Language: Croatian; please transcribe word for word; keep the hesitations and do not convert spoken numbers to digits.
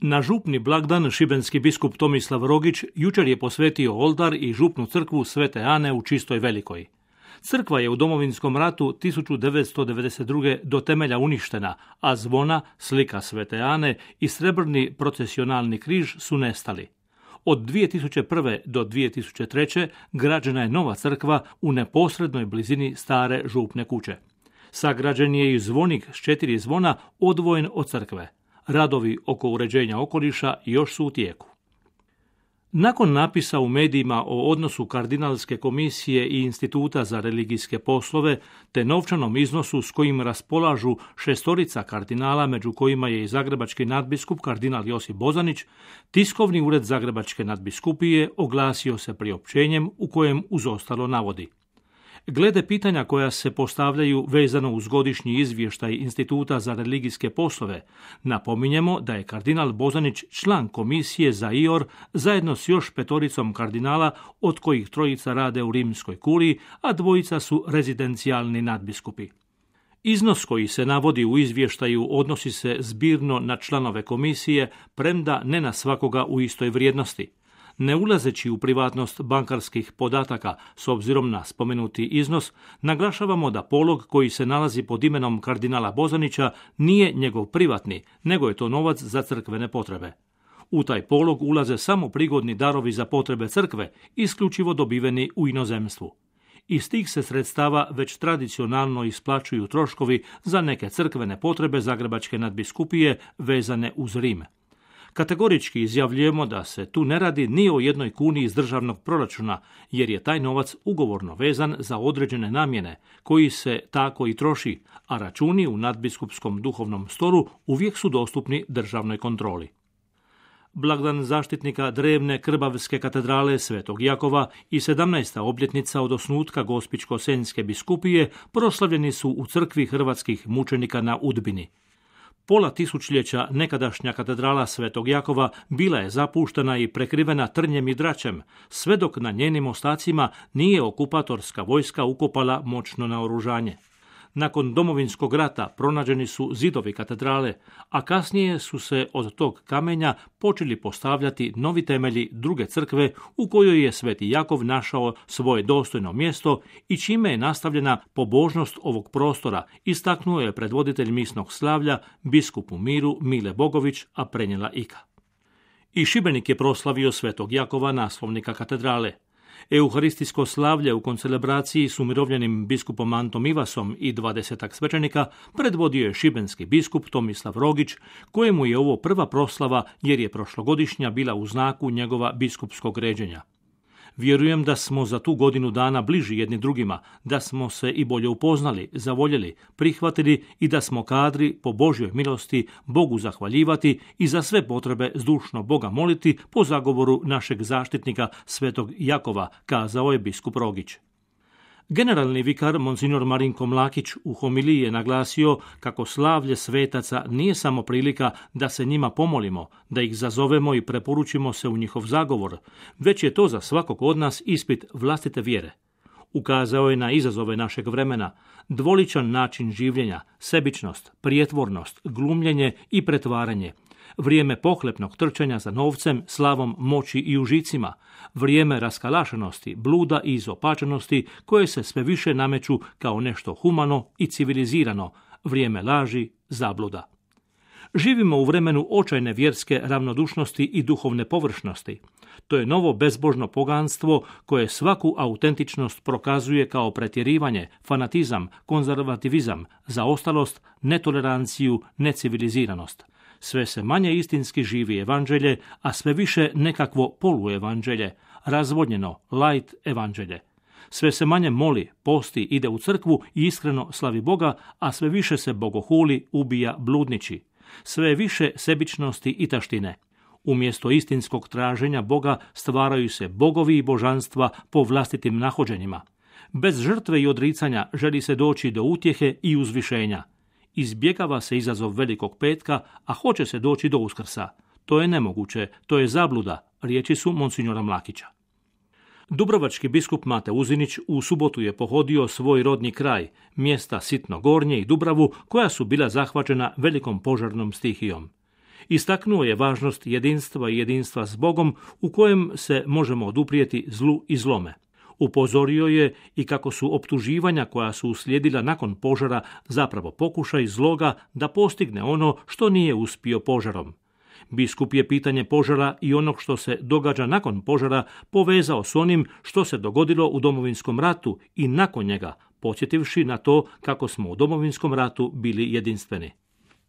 Na župni blagdan šibenski biskup Tomislav Rogić jučer je posvetio oltar i župnu crkvu Svete Ane u Čistoj Velikoj. Crkva je u Domovinskom ratu tisuću devetsto devedeset druge do temelja uništena, a zvona, slika Svete Ane i srebrni procesionalni križ su nestali. Od dvije tisuće prve do dvije tisuće treće građena je nova crkva u neposrednoj blizini stare župne kuće. Sagrađen je i zvonik s četiri zvona odvojen od crkve. Radovi oko uređenja okoliša još su u tijeku. Nakon napisa u medijima o odnosu Kardinalske komisije i Instituta za religijske poslove te novčanom iznosu s kojim raspolažu šestorica kardinala, među kojima je i zagrebački nadbiskup kardinal Josip Bozanić, tiskovni ured Zagrebačke nadbiskupije oglasio se priopćenjem u kojem uz ostalo navodi: glede pitanja koja se postavljaju vezano uz godišnji izvještaj Instituta za religijske poslove, napominjemo da je kardinal Bozanić član komisije za I O R zajedno s još petoricom kardinala, od kojih trojica rade u Rimskoj kuriji, a dvojica su rezidencijalni nadbiskupi. Iznos koji se navodi u izvještaju odnosi se zbirno na članove komisije, premda ne na svakoga u istoj vrijednosti. Ne ulazeći u privatnost bankarskih podataka s obzirom na spomenuti iznos, naglašavamo da polog koji se nalazi pod imenom kardinala Bozanića nije njegov privatni, nego je to novac za crkvene potrebe. U taj polog ulaze samo prigodni darovi za potrebe crkve, isključivo dobiveni u inozemstvu. Iz tih se sredstava već tradicionalno isplaćuju troškovi za neke crkvene potrebe Zagrebačke nadbiskupije vezane uz Rim. Kategorički izjavljujemo da se tu ne radi ni o jednoj kuni iz državnog proračuna, jer je taj novac ugovorno vezan za određene namjene, koji se tako i troši, a računi u nadbiskupskom duhovnom stolu uvijek su dostupni državnoj kontroli. Blagdan zaštitnika drevne Krbavske katedrale Svetog Jakova i sedamnaesta obljetnica od osnutka Gospićko-senjske biskupije proslavljeni su u crkvi hrvatskih mučenika na Udbini. Pola tisućljeća nekadašnja katedrala Svetog Jakova bila je zapuštena i prekrivena trnjem i dračem, sve dok na njenim ostacima nije okupatorska vojska ukopala moćno naoružanje. Nakon Domovinskog rata pronađeni su zidovi katedrale, a kasnije su se od tog kamenja počeli postavljati novi temelji druge crkve u kojoj je Sveti Jakov našao svoje dostojno mjesto i čime je nastavljena pobožnost ovog prostora, istaknuo je predvoditelj misnog slavlja, biskup u miru Mile Bogović, a prenijela Ika. I Šibenik je proslavio Svetog Jakova, naslovnika katedrale. Euharistijsko slavlje u koncelebraciji s umirovljenim biskupom Antom Ivasom i dvadesetak svećenika predvodio je šibenski biskup Tomislav Rogić, kojemu je ovo prva proslava jer je prošlogodišnja bila u znaku njegova biskupskog ređenja. Vjerujem da smo za tu godinu dana bliži jedni drugima, da smo se i bolje upoznali, zavoljeli, prihvatili i da smo kadri po Božjoj milosti Bogu zahvaljivati i za sve potrebe zdušno Boga moliti po zagovoru našeg zaštitnika Svetog Jakova, kazao je biskup Rogić. Generalni vikar monsignor Marinko Mlakić u homiliji je naglasio kako slavlje svetaca nije samo prilika da se njima pomolimo, da ih zazovemo i preporučimo se u njihov zagovor, već je to za svakog od nas ispit vlastite vjere. Ukazao je na izazove našeg vremena, dvoličan način življenja, sebičnost, prijetvornost, glumljenje i pretvaranje, vrijeme pohlepnog trčanja za novcem, slavom, moći i užicima, vrijeme raskalašenosti, bluda i izopačenosti koje se sve više nameću kao nešto humano i civilizirano, vrijeme laži, zabluda. Živimo u vremenu očajne vjerske ravnodušnosti i duhovne površnosti. To je novo bezbožno poganstvo koje svaku autentičnost prokazuje kao pretjerivanje, fanatizam, konzervativizam, zaostalost, netoleranciju, neciviliziranost. Sve se manje istinski živi evanđelje, a sve više nekakvo poluevanđelje, razvodnjeno, light evanđelje. Sve se manje moli, posti, ide u crkvu i iskreno slavi Boga, a sve više se bogohuli, ubija, bludniči. Sve više sebičnosti i taštine. Umjesto istinskog traženja Boga stvaraju se bogovi i božanstva po vlastitim nahođenjima. Bez žrtve i odricanja želi se doći do utjehe i uzvišenja. Izbjegava se izazov Velikog petka, a hoće se doći do Uskrsa. To je nemoguće, to je zabluda, riječi su monsignora Mlakića. Dubrovački biskup Mate Uzinić u subotu je pohodio svoj rodni kraj, mjesta Sitno Gornje i Dubravu, koja su bila zahvaćena velikom požarnom stihijom. Istaknuo je važnost jedinstva i jedinstva s Bogom u kojem se možemo oduprijeti zlu i zlome. Upozorio je i kako su optuživanja koja su uslijedila nakon požara zapravo pokušaj zloga da postigne ono što nije uspio požarom. Biskup je pitanje požara i onog što se događa nakon požara povezao s onim što se dogodilo u Domovinskom ratu i nakon njega, podsjetivši na to kako smo u Domovinskom ratu bili jedinstveni.